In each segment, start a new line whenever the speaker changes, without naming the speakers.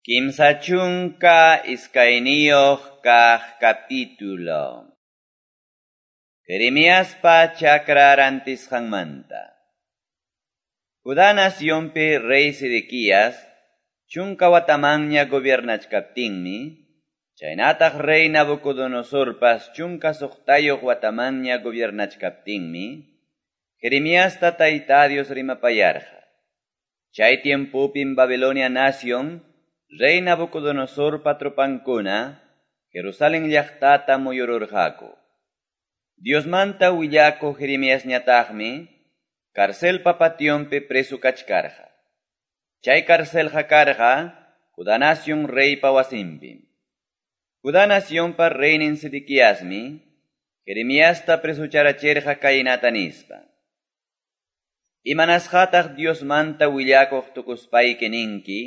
32 kaq capítulo. Jeremiaspa chakra rantisqanmanta. Judá nacionpi rey Sedequías chunka watamanña gobiernachkaptinmi, chaynataq rey Nabucodonosorpas chunka suqtayuq watamanña gobiernachkaptinmi, Jeremiasta Tayta Dios rimapayarqa. Chay tiempopim Babilonia nación rey Nabucodonosorpa tropankuna Jerusalén llaqtata muyururqaku. Diosmanta willakuq Jeremiasñataqmi carcelpa pationpi preso kachkarqa. Chay carcelqa karqa Judá nación reypa wasinpim. Judá nacionpa reynin Sedequiasmi Jeremiasta presucharachirqa kaynata nispa: Imanasqataq Diosmanta willakuq tukuspayki ninki,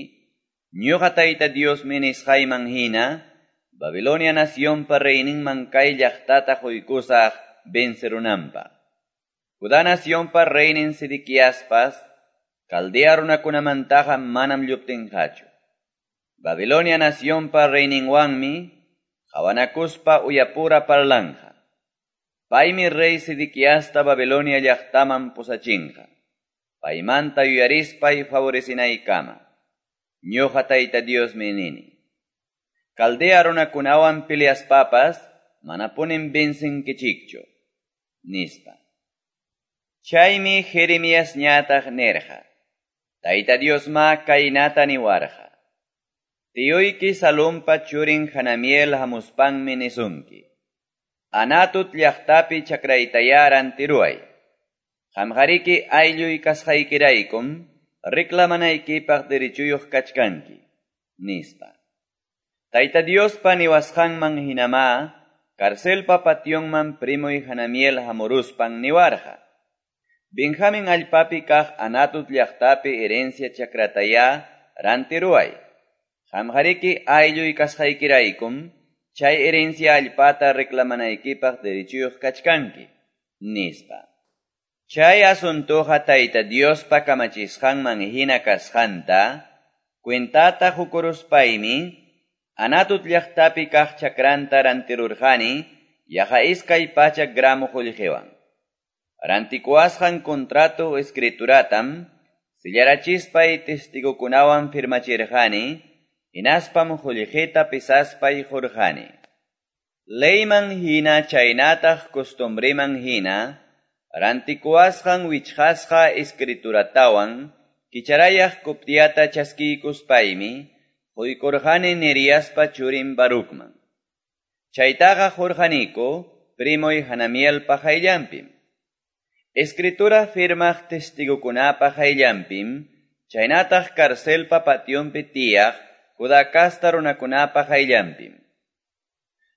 ñuqa Tayta Diosmi nisqayman hina, Babilonia nacionpa reyninman kay llaqtata quykusaq vencerunanpaq. Judá nacionpa reynin Sedequiaspas, Caldea runakunamantaqa manam lluptinqachu. Babilonia nacionpa reyninwanmi qawanakuspa uyapura parlanqa. Paymi rey Sedequiasta Babilonia llaqtaman pusachinqa. Paymanta yuyarispay favorecinaykama. Ñuqa Tayta Diosmi nini. Caldea runakunawan peleaspapas manapunim vencinkichikchu, nispa. Chaymi Jeremiasñataq nirqa: Tayta Diosma kaynata niwarqa: Tiyuyki Salumpa churin Hanamiel hamuspanmi nisunki: Anatut llaqtapi chakraytaya rantiruway. Qamqariki aylluy kasqaykiraykum reclamanaykipaq derechuyuq kachkanki, nispa. Tayta Diospa niwasqanman hinamá carcelpa pationman primoy Hanamiel hamuruspan niwarqa: Benjamin allpapi kaq Anatut llaqtapi herencia chakrataya rantiruway. Qamqariki aylluy kasqaykiraykum chay herencia allpata reclamanaykipaq derechuyuq kachkanki, nispa. Chay asuntoqa Tayta Diospa kamachisqanman hina kasqanta cuentata hukuruspaymi Anatut llaqtapi kaq chakranta rantirurqani yaqa 200 gramo qullqiwan. Rantikuwasqan contrato escrituratam sillarachispay testigukunawan firmachirqani, hinaspam qullqita pesaspay qurqani. Leyman hina chaynataq costumbreman hina rantikuwasqan wichqasqa escrituratawan kicharayaq copiata chaskiykuspaymi quykurqani Neriaspa churin Barucman. Chaytaqa qurqaniku primoy Hanamielpa qayllanpim. Escritura firmaq testigukunapa qayllanpim, chaynataq carcelpa pationpi tiyaq Judá casta runakunapa qayllanpim.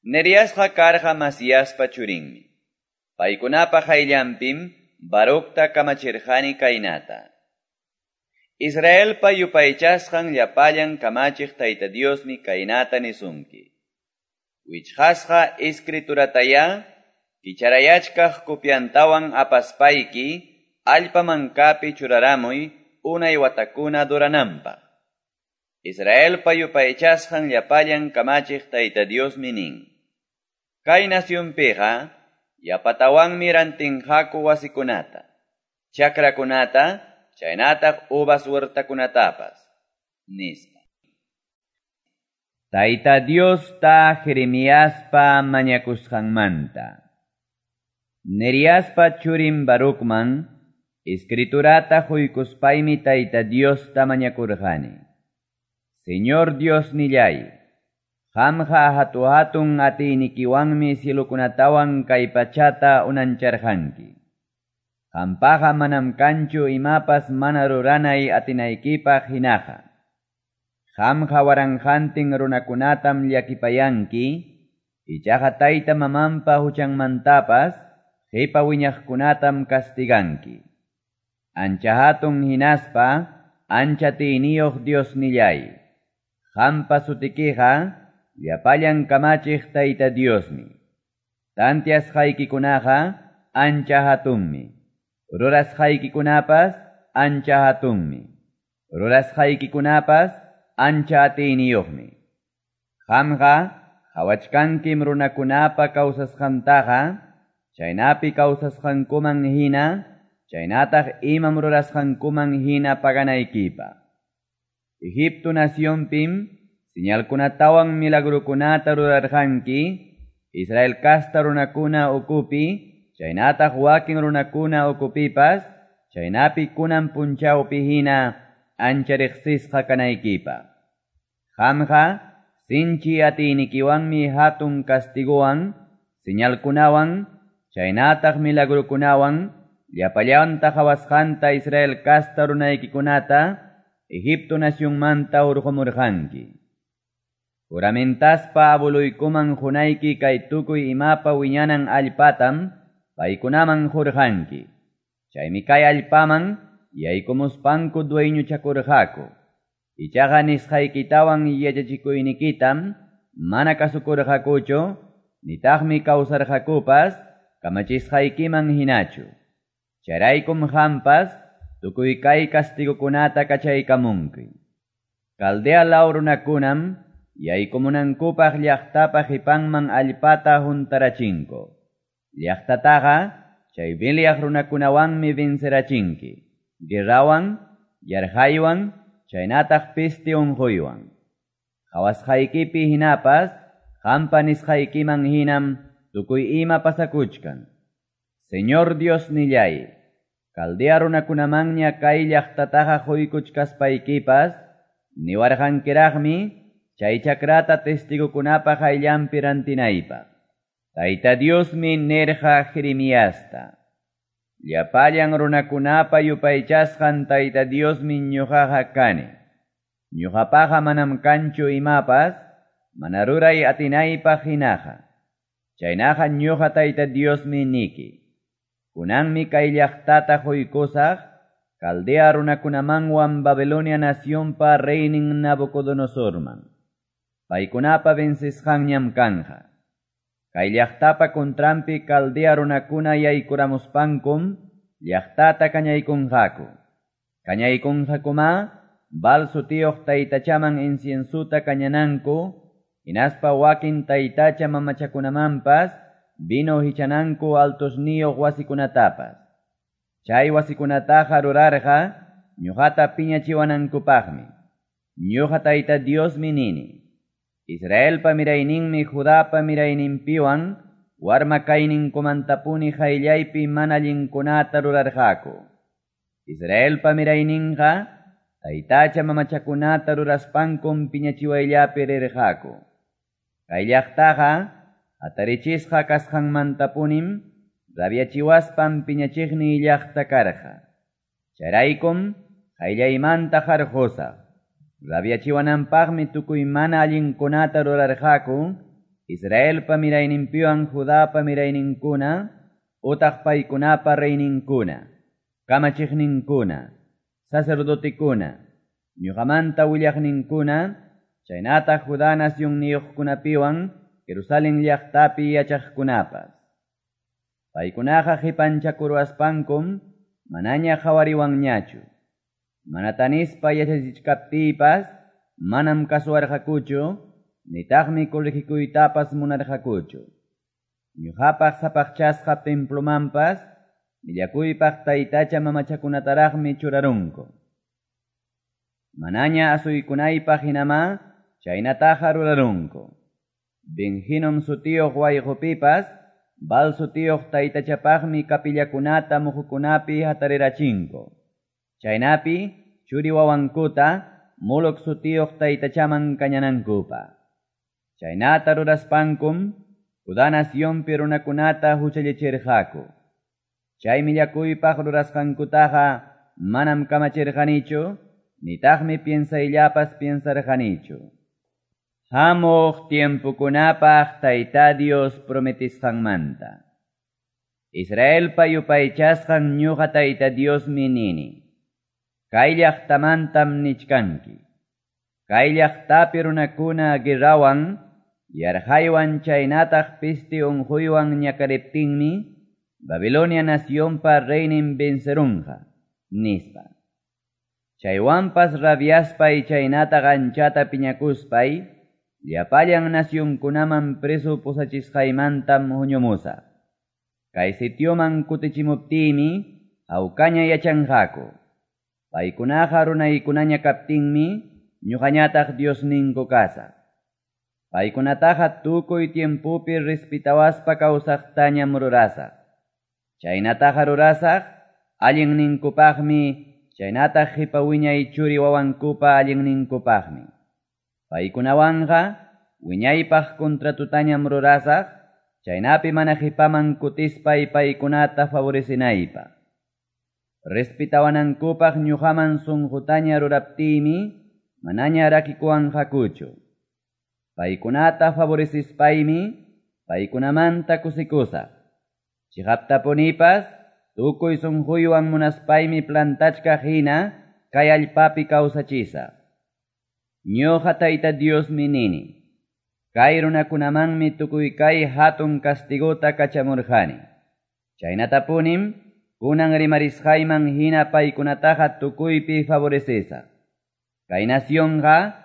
Neriasqa karqa Masiaspa churinmi. Paykunapa qayllanpim Baructa kamachirqani kaynata: Israelpa yupaychasqan llapallan kamachiq Tayta Diosmi kaynata nisunki: Wichqasqa escriturataya kicharayachkaq copiantawan apaspayki allpa mankapi churaramuy unay watakuna durananpaq. Israelpa yupaychasqan llapallan kamachiq Tayta Diosmi nin: Kay nacionpiqa yapatawanmi rantinqaku wasikunata, chakrakunata, chaynataq uvas huertakunatapas, nispa. Tayta Diosta Jeremiaspa mañakusqanmanta. Neriaspa churin Barucman escriturata quykuspaymi Tayta Diosta mañakurqani: Señor Dios nillay, qamqa hatu-hatun atiynikiwanmi cielokunatawan kay pachata unancharqanki. Qampaqa manam kanchu imapas mana ruranay atinaykipaq hinaqa. Qamqa waranqantin runakunatam llakipayanki, ichaqa tayta mamanpa huchanmantapas qipa wiñaqkunatam castiganki. Ancha hatun hinaspa ancha atiyniyuq Dios nillay, qampa sutikiqa llapallan kamachiq Tayta Diosmi. Tantiasqaykikunaqa ancha hatunmi. Rurasqaykikunapas ancha hatunmi. Rurasqaykikunapas ancha atiyniyuqmi. Qamqa qawachkankim runakunapa kawsasqantaqa, chaynapi kawsasqankuman hina chaynataq imam rurasqankuman hina paganaykipaq. Egipto nacionpim señalkunatawan milagrokunata rurarqanki, Israel casta runakuna ukupi, chaynataq wakin runakuna ukupipas, chaynapi kunan punchawpi hina ancha riqsisqa kanaykipaq. Qamqa sinchi atiynikiwanmi hatun castigowan, señalkunawan, chaynataq milagrokunawan, llapallanta qawasqanta Israel casta runaykikunata Egipto nacionmanta hurqumurqanki. Juramentaspa abueluykuman qunayki kay tukuy imapa wiñanan allpatam paykunaman qurqanki. Chaymi kay allpaman yaykumuspanku dueñochakurqaku. Ichaqa nisqaykitawan yachachikuynikitam mana kasukurqakuchu, nitaqmi kawsarqakupas kamachisqaykiman hinachu. Chayraykum qampas tukuy kay castigokunata kachaykamunki. Caldea law runakunam yaykumunankupaq llaqtapa qipanman allpata huntarachinku. Llaqtataqa chay peleaq runakunawanmi vencerachinki. Guerrawan, yarqaywan, chaynataq peste unquywan. Qawasqaykipi hinapas, qampa nisqaykiman hinam tukuy ima pasakuchkan. Señor Dios nillay, Caldea runakunamanña kay llaqtataqa quykuchkaspaykipas, niwarqankiraqmi chay chakrata testigokunapa qayllanpi rantinaypaq. Tayta Diosmi nirqa Jeremiasta: Llapallan runakunapa yupaychasqan Tayta Diosmi ñuqaqa kani. Ñuqapaqa manam kanchu imapas, mana ruray atinaypaq hinaqa. Chaynaqa ñuqa Tayta Diosmi niki. Kunanmi kay llaqtata quykusaq, Caldea runakunamanwan Babilonia nacionpa reynin Nabucodonosorman. Paykunapa vencisqanñam kanja. Kay llaqtapa contranpi Caldea runakuna yaykuramuspankum llaqtata kañaykunqaku. Kañaykunqakuma Baal sutiyuq taytachaman inciensuta kañananku, hinaspa wakin taytacha mamachakunamanpas vino hichananku altosniyuq wasikunatapas. Chay wasikunataqa rurarqa ñuqata piñachiwanankupaqmi. Ñuqa Tayta Diosmi nini. Israelpa mirayninmi Judapa mirayninpiwan warma kayninkumantapuni qayllaypi mana allinkunata rurarqaku. Israelpa mirayninqa taytacha mamachakunata ruraspankum piñachiwayllapi rirqaku. Kay llaqtaqa hatarichisqa kasqanmantapunim rabiachiwaspan piñachiqniy llaqta karqa. Chayraykum qayllaymanta qarqusaq. Rabiachiwananpaqmi tukuy mana allinkunata rurarqaku, Israelpa mirayninpiwan Judapa mirayninkuna, utaq paykunapa reyninkuna, kamachiqninkuna, sacerdotekuna, ñuqamanta willaqninkuna, chaynataq Judá nacionniyuqkunapiwan Jerusalén llaqtapi yachaqkunapas. Paykunaqa qipanchakurwaspankum manaña qhawariwanñachu. Mana tanispa yachachichkaptiypas manam kasuwarqakuchu, nitaqmi corregikuytapas munarqakuchu. Ñuqapaq sapaqchasqa templomanpas millakuypaq taytacha mamachakunataraqmi churarunku. Manaña asuykunaypaq hinamá chaynataqa rurarunku. Ben-Hinom sutiyuq wayqupipas Baal sutiyuq taytachapaqmi kapillakunata muhukunapi hatarirachinku. Chaynapi churi wawankuta Moloc sutiyuq taytachaman kañanankupaq. Chaynata ruraspankum Judá nacionpi runakunata huchallichirqaku. Chay millakuypaq rurasqankutaqa manam kamachirqanichu, nitaqmi piensayllapas piensarqanichu. Hamuq tiempokunapaq Tayta Dios prometisqanmanta. Israelpa yupaychasqan ñuqa Tayta Diosmi nini. Kay llaqtamantam nichkanki. Kay llaqtapi runakuna guerrawan, yarqaywan chaynataq peste unquywan ñakariptinmi, Babilonia nacionpa reynin vencerunqa, nispa. Chaywanpas rabiaspay chaynataq anchata piñakuspay llapallan nacionkunaman preso pusachisqaymantam huñumusaq. Kay sitioman kutichimuptiymi hawkaña yachanqaku. Paykunaqa runaykunaña kaptinmi ñoqañataq Diosninku kasaq. Paykunataqa tukuy tiempopi respetawaspa kawsaqtañam rurasaq. Chaynataqa rurasaq allinninkupaqmi, chaynataq qipa wiñay churi-wawankupa allinninkupaqmi. Paykunawanqa wiñaypaq contratotañam rurasaq, chaynapi mana qipaman kutispay paykunata favorecenaypaq. Respetawanankupaq ñuqaman sunqutaña ruraptiymi manaña rakikuwanqakuchu. Paykunata favorecispaymi paykunamanta kusikusaq. Chiqaptapunipas tukuy sunquywan munaspaymi plantachkaq hina kay allpapi kawsachisaq. Ñuqa Tayta Diosmi nini. Kay runakunamanmi tukuy kay hatun castigota kachamurqani. Chaynatapunim kunan rimarisqayman hina paykunataqa tukuypi favorecesaq. Kay nacionqa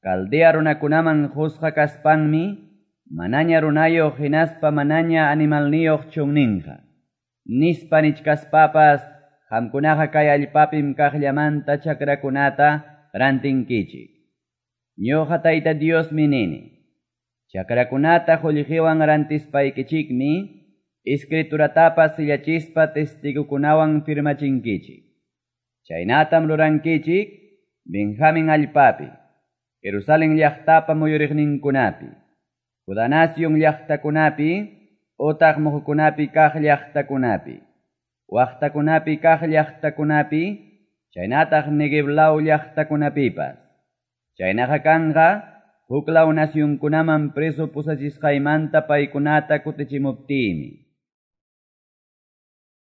Caldea runakunaman qusqa kaspanmi manaña runayuq hinaspa manaña animalniyuq chunninqa. Nispa nichkaspapas qamkunaqa kay allpapim kaqllamanta chakrakunata rantinkichik. Ñuqa Tayta Diosmi nini. Chakrakunata qullqiwan rantispaykichikmi escrituratapas sillachispa testigokunawan firmachinkichik. Chaynatam rurankichik Benjamin allpapi, Jerusalén llaqtapa muyuriqninkunapi, Judá nación llaqtakunapi, utaq muhukunapi kaq llaqtakunapi, waqtakunapi kaq llaqtakunapi, chaynataq Neguev law llaqtakunapipas. Chaynaqa kanqa huklaw nacionkunaman preso pusachisqaymanta paykunata kutichimuptiymi.